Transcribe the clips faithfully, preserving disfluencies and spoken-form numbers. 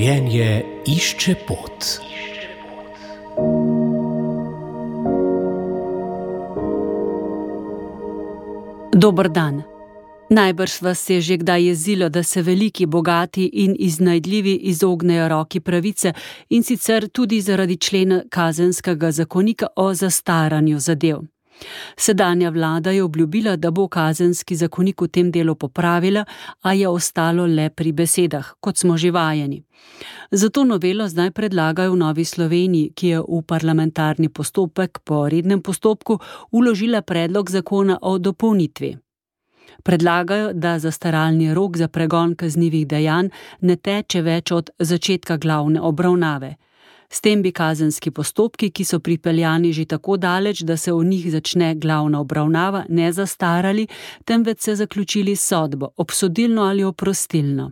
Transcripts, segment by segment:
Življenje išče pot. Dober dan. Najbrž vas je že kdaj jezilo, da se veliki, bogati in iznajdljivi izognejo roki pravice, in sicer tudi zaradi člena kazenskega zakonika o zastaranju zadev. Sedanja vlada je obljubila, da bo kazenski zakonik v tem delu popravila, a je ostalo le pri besedah, kot smo že vajeni. Zato novelo zdaj predlagajo v Novi Sloveniji, ki je v parlamentarni postopek po rednem postopku vložila predlog zakona o dopolnitvi. Predlagajo, da zastaralni rok za pregon kaznivih dejanj ne teče več od začetka glavne obravnave. S tem bi kazenski postopki, ki so pripeljani že tako daleč, da se v njih začne glavna obravnava, ne zastarali, temveč se zaključili s sodbo, obsodilno ali oprostilno.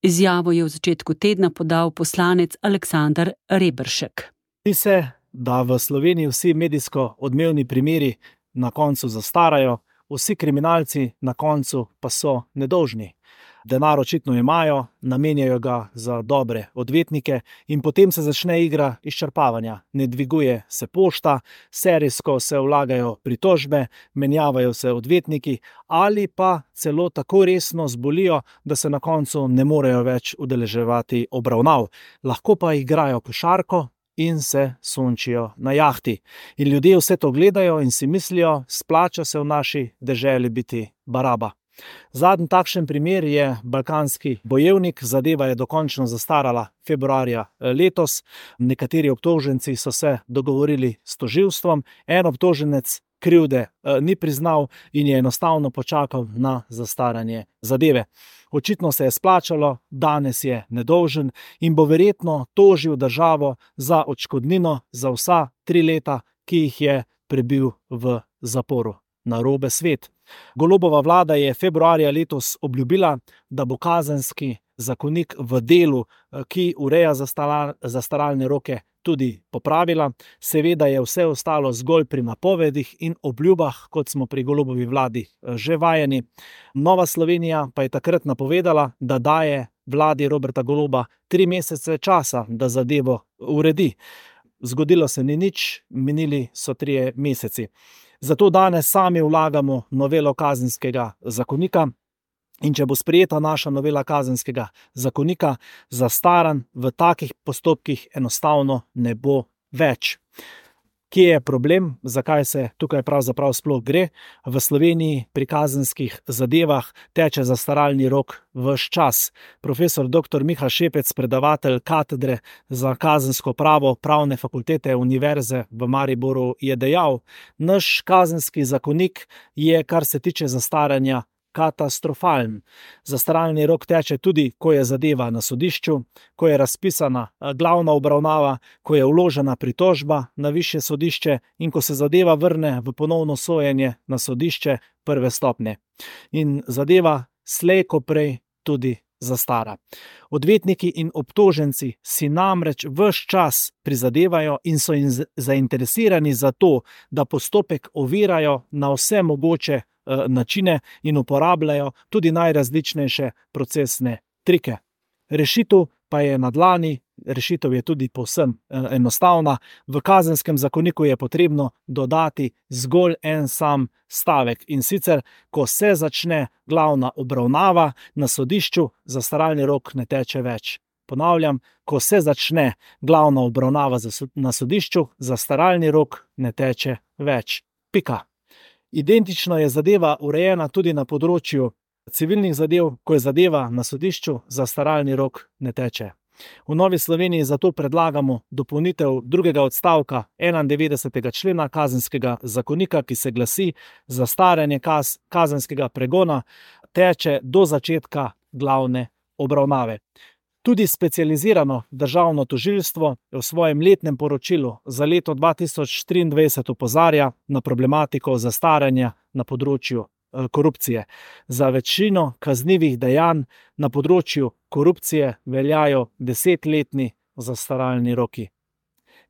Izjavo je v začetku tedna podal poslanec Aleksander Reberšek. Zdi se, da v Sloveniji vsi medijsko odmevni primeri na koncu zastarajo, vsi kriminalci na koncu pa so nedolžni. Denar očitno imajo, namenjajo ga za dobre odvetnike in potem se začne igra izčrpavanja. Ne dviguje se pošta, serijsko se vlagajo pritožbe, menjavajo se odvetniki ali pa celo tako resno zbolijo, da se na koncu ne morejo več udeleževati obravnav. Lahko pa igrajo košarko in se sončijo na jahti. In ljudje vse to gledajo in si mislijo, splača se v naši deželi biti baraba. Zadnji takšen primer je balkanski bojevnik, zadeva je dokončno zastarala februarja letos. Nekateri obtoženci so se dogovorili s tožilstvom, en obtoženec krivde ni priznal in je enostavno počakal na zastaranje zadeve. Očitno se je splačalo, danes je nedolžen in bo verjetno tožil državo za odškodnino za vsa tri leta, ki jih je prebil v zaporu. Narobe svet. Golobova vlada je februarja letos obljubila, da bo kazenski zakonik v delu, ki ureja zastaralne roke, tudi popravila. Seveda je vse ostalo zgolj pri napovedih in obljubah, kot smo pri Golobovi vladi že vajeni. Nova Slovenija pa je takrat napovedala, da daje vladi Roberta Goloba tri mesece časa, da zadevo uredi. Zgodilo se ni nič, minili so trije meseci. Zato danes sami vlagamo novelo kazenskega zakonika in če bo sprejeta naša novela kazenskega zakonika, zastaranj v takih postopkih enostavno ne bo več. Kje je problem, zakaj se tukaj pravzaprav sploh gre? V Sloveniji pri kazenskih zadevah teče zastaralni rok ves čas. Profesor doktor Miha Šepec, predavatelj katedre za kazensko pravo Pravne fakultete Univerze v Mariboru, je dejal: naš kazenski zakonik je, kar se tiče zastaranja, katastrofalen. Zastaralni rok teče tudi, ko je zadeva na sodišču, ko je razpisana glavna obravnava, ko je vložena pritožba na višje sodišče in ko se zadeva vrne v ponovno sojenje na sodišče prve stopnje. In zadeva slej ko prej tudi zastara. Odvetniki in obtoženci si namreč ves čas prizadevajo in so jim zainteresirani za to, da postopek ovirajo na vse mogoče načine in uporabljajo tudi najrazličnejše procesne trike. Rešitev pa je na dlani, rešitev je tudi povsem enostavna. V kazenskem zakoniku je potrebno dodati zgolj en sam stavek, in sicer, ko se začne glavna obravnava na sodišču, zastaralni rok ne teče več. Ponavljam, ko se začne glavna obravnava na sodišču, zastaralni rok ne teče več. Pika. Identično je zadeva urejena tudi na področju civilnih zadev, ko je zadeva na sodišču, zastaralni rok ne teče. V Novi Sloveniji zato predlagamo dopolnitev drugega odstavka enaindevetdesetega člena kazenskega zakonika, ki se glasi: zastaranje kaz, kazenskega pregona teče do začetka glavne obravnave. Tudi specializirano državno tožilstvo v svojem letnem poročilu za leto dva tisoč triindvajset opozarja na problematiko zastaranja na področju korupcije. Za večino kaznivih dejanj na področju korupcije veljajo desetletni zastaralni roki.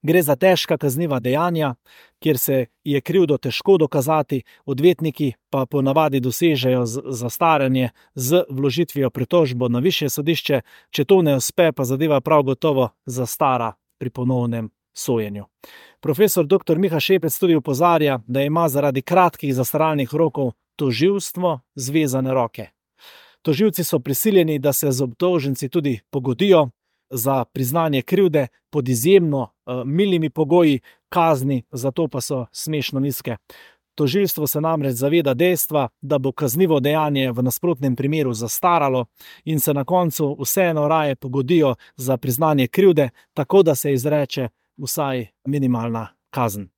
Gre za težka kazniva dejanja, kjer se je krivdo težko dokazati, odvetniki pa ponavadi dosežejo zastaranje z vložitvijo pritožbo na višje sodišče, če to ne uspe, pa zadeva prav gotovo zastara pri ponovnem sojenju. Profesor doktor Miha Šepec tudi opozarja, da ima zaradi kratkih zastaralnih rokov tožilstvo zvezane roke. Tožilci so prisiljeni, da se z obdolženci tudi pogodijo za priznanje krivde pod izjemno uh, milimi pogoji, kazni za to pa so smešno nizke. Tožilstvo se namreč zaveda dejstva, da bo kaznivo dejanje v nasprotnem primeru zastaralo in se na koncu vseeno raje pogodijo za priznanje krivde, tako da se izreče vsaj minimalna kazen.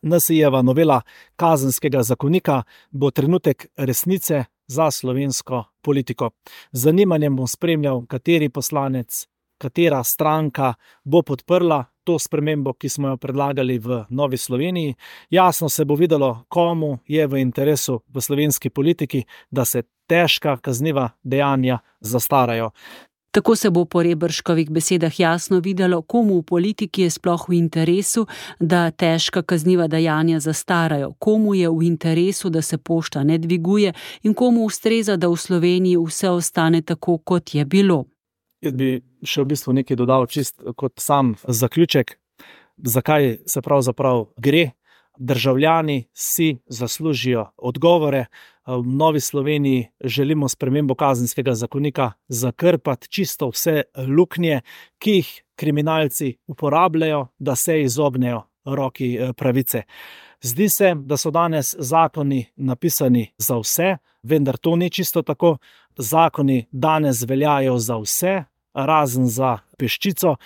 N S I-jeva novela kazenskega zakonika bo trenutek resnice za slovensko politiko. Z zanimanjem bom spremljal, kateri poslanec, katera stranka bo podprla to spremembo, ki smo jo predlagali v Novi Sloveniji. Jasno se bo videlo, komu je v interesu v slovenski politiki, da se težka kazniva dejanja zastarajo. Tako se bo po Reberškovih besedah jasno videlo, komu v politiki je sploh v interesu, da težka kazniva dejanja zastarajo, komu je v interesu, da se pošta ne dviguje in komu ustreza, da v Sloveniji vse ostane tako, kot je bilo. Jaz bi še v bistvu nekaj dodal čist kot sam zaključek, zakaj se pravzaprav gre. Državljani si zaslužijo odgovore. V Novi Sloveniji želimo spremembo kazenskega zakonika zakrpati čisto vse luknje, ki jih kriminalci uporabljajo, da se izognejo roki pravice. Zdi se, da so danes zakoni napisani za vse, vendar to ni čisto tako. Zakoni danes veljajo za vse, razen za peščico.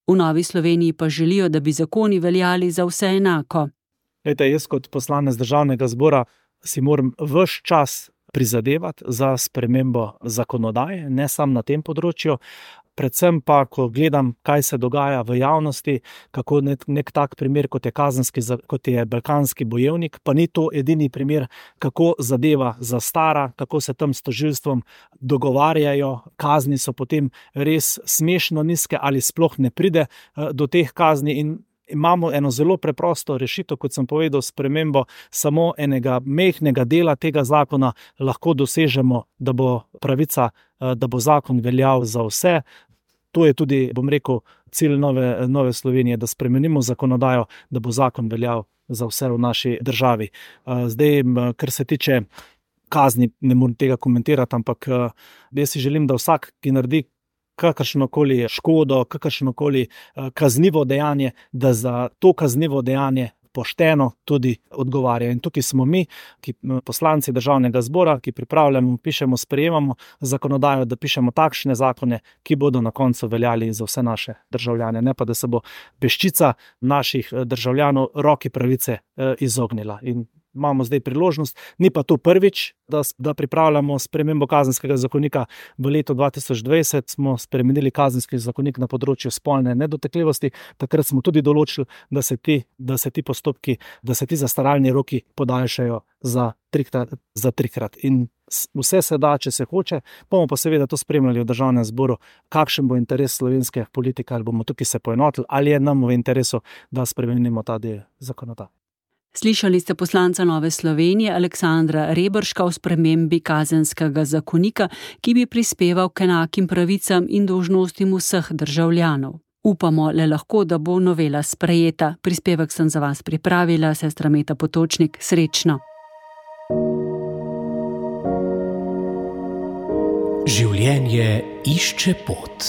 V Novi Sloveniji pa želijo, da bi zakoni veljali za vse enako. Lejte, jaz kot poslanec Državnega zbora si moram ves čas prizadevati za spremembo zakonodaje, ne samo na tem področju, predvsem pa, ko gledam, kaj se dogaja v javnosti, kako nek, nek tak primer, kot je kazenski, kot je Balkanski bojevnik, pa ni to edini primer, kako zadeva zastara, kako se tam s tožilstvom dogovarjajo, kazni so potem res smešno nizke ali sploh ne pride do teh kazni in imamo eno zelo preprosto rešitev, kot sem povedal, spremembo samo enega mehkega dela tega zakona lahko dosežemo, da bo pravica, da bo zakon veljal za vse. To je tudi, bom rekel, cilj Nove, Nove Slovenije, da spremenimo zakonodajo, da bo zakon veljal za vse v naši državi. Zdaj, kar se tiče kazni, ne morem tega komentirati, ampak jaz si želim, da vsak, ki naredi kakršnokoli škodo, kakršnokoli kaznivo dejanje, da za to kaznivo dejanje pošteno tudi odgovarja. In tukaj smo mi, ki poslanci Državnega zbora, ki pripravljamo, pišemo, sprejemamo zakonodajo, da pišemo takšne zakone, ki bodo na koncu veljali za vse naše državljane, ne pa da se bo peščica naših državljanov roki pravice izognila. In imamo zdaj priložnost, ni pa to prvič, da, da pripravljamo spremembo kazenskega zakonika. V letu dva tisoč dvajset smo spremenili kazenski zakonik na področju spolne nedotakljivosti. Takrat smo tudi določili, da se ti, da se ti postopki, da se ti zastaralni roki podaljšajo za trikrat, za trikrat. In vse se da, če se hoče, bomo pa seveda to spremljali v Državnem zboru, kakšen bo interes slovenske politike, ali bomo tukaj se poenotili, ali je nam v interesu, da spremenimo ta del zakonodaje. Slišali ste poslanca Nove Slovenije Aleksandra Reberška o spremembi kazenskega zakonika, ki bi prispeval k enakim pravicam in dolžnostim vseh državljanov. Upamo le lahko, da bo novela sprejeta. Prispevek sem za vas pripravila, sestra Meta Potočnik. Srečno. Življenje išče pot.